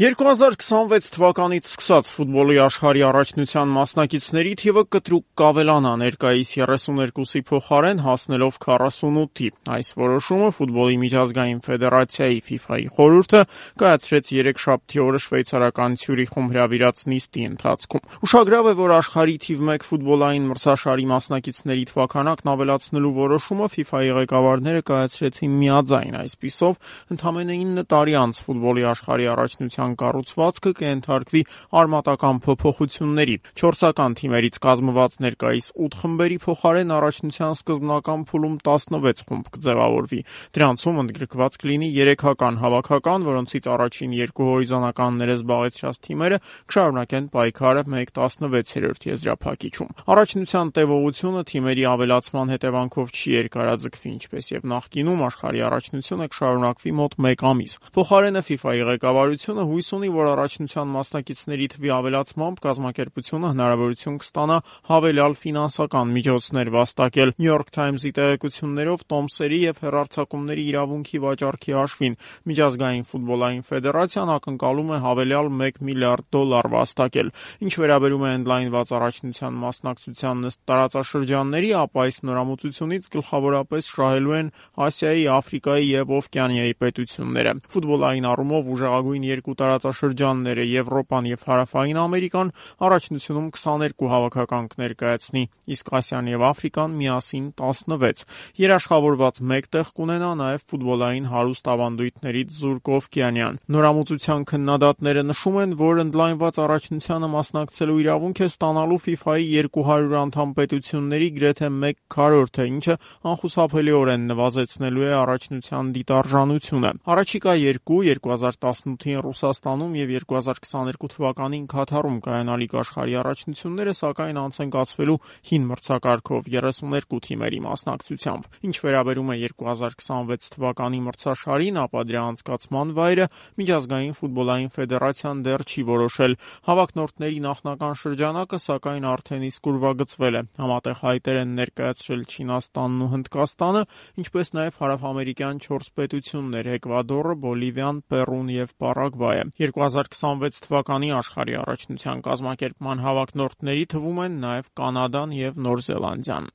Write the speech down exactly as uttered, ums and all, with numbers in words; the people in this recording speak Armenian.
երկու հազար քսանվեց թվականից սկսած ֆուտբոլի աշխարհի առաջնության մասնակիցների թիվը կտրուկ կավելանա, ներկայիս երեսուներկուսի փոխարեն հասնելով քառասունութի։ Այս որոշումը ֆուտբոլի միջազգային ֆեդերացիայի ֆիֆայի խորհուրդը կայացրեց երեքշաբթի օրը շվեյցարական Ցյուրիխում հրավիրած նիստի ընթացքում։ Ուշագրավ է, որ աշխարհի թիվ մեկ ֆուտբոլային մրցաշարի մասնակիցների թվաքանակն ավելացնելու որոշումը ֆիֆայի ղեկավարները կայացրեցին միաձայն, այսպիսով ընդամենը ինը տարի անց ֆուտբոլի աշխարհի առաջնության կառուցվածքը կենթարկվի արմատական փոփոխությունների։ Չորսական թիմերից կազմված ներկայիս ութ խմբերի փոխարեն առաջնության սկզբնական փուլում տասնվեց խումբ կձևավորվի։ Դրանցում ընդգրկված կլինի երեքական հավաքական, որոնցից առաջին երկու հորիզոնականները զբաղեցրած թիմերը կշարունակեն պայքարը մեկ տասնվեցերորդ եզրափակիչում։ Առաջնության տևողությունը թիմերի ավելացման հետևանքով չի երկարաձգվի, ինչպես եւ նախկինում աշխարհի առաջնությունը կշարունակվի մոտ մեկ ամիս։ Փոխարենը ֆիֆայի ղեկավարությունը հույս ունի, որ առաջնության մասնակիցների թվի ավելացմամբ կազմակերպությունը հնարավորություն կստանա հավելյալ ֆինանսական միջոցներ վաստակել։ New York Times-ի տեղեկություններով տոմսերի եւ հեռարձակումների իրավունքի վաճառքի հաշվին միջազգային ֆուտբոլային ֆեդերացիան ակնկալում է հավելյալ մեկ միլիարդ դոլար վաստակել։ Ինչ վերաբերում է ընդլայնված առաջնության մասնակցությանն ըստ տարածաշրջանների, ապա այս նորամուծությունից գլխավորապես շահելու են Ասիայի, Աֆրիկայի եւ Օվկիանիայի պետությունները։ Ֆուտբոլային առումով ուժեղագույն երկու տարածաշրջանները՝ Եվրոպան եւ Հարավային Ամերիկան, առաջնությունում քսաներկու հավաքական կներկայացնի, իսկ Ասիան եւ Աֆրիկան միասին տասնվեց։ Երաշխավորված մեկ տեղ կունենա նաեւ ֆուտբոլային հարուստ ավանդույթներից զուրկ Օվկիանիան։ Նորամուծության քննադատները նշում են, որ ընդլայնված առաջնությանը մասնակցելու իրավունք է ստանալու ֆիֆայի երկու հարյուր անդամ պետությունների գրեթե մեկ քառորդը, ինչը անխուսափելիորեն նվազեցնելու է առաջնության դիտարժանությունը։ Առաջիկա երկու՝ երկու հազար տասնութին Ռուսաստանում եւ երկու հազար քսաներկու թվականին Քաթարում կայանալիք աշխարհի առաջնությունները, սակայն անց են կացվելու հին մրցակարգով երեսուներկու թիմերի մասնակցությամբ։ Ինչ վերաբերում է երկու հազար քսանվեց թվականի մրցաշարին, ապա դրա անցկացման վայրը միջազգային ֆուտբոլային ֆեդերացիան դեռ չի որոշել։ Հավակնորդների նախնական շրջանակը, սակայն արդեն իսկ ուրվագծվել է։ Համատեղ հայտեր են ներկայացրել Չինաստանն ու Հնդկաստանը, ինչպես նաեւ հարավամերիկյան չորս պետություններ՝ Էկվադորը, Բոլիվիան, Պերուն եւ Պարագվայը։ երկու հազար քսանվեց թվականի աշխարհի առաջնության կազմակերպման հավակնորդների թվում են նաեւ Կանադան եւ Նոր Զելանդիան։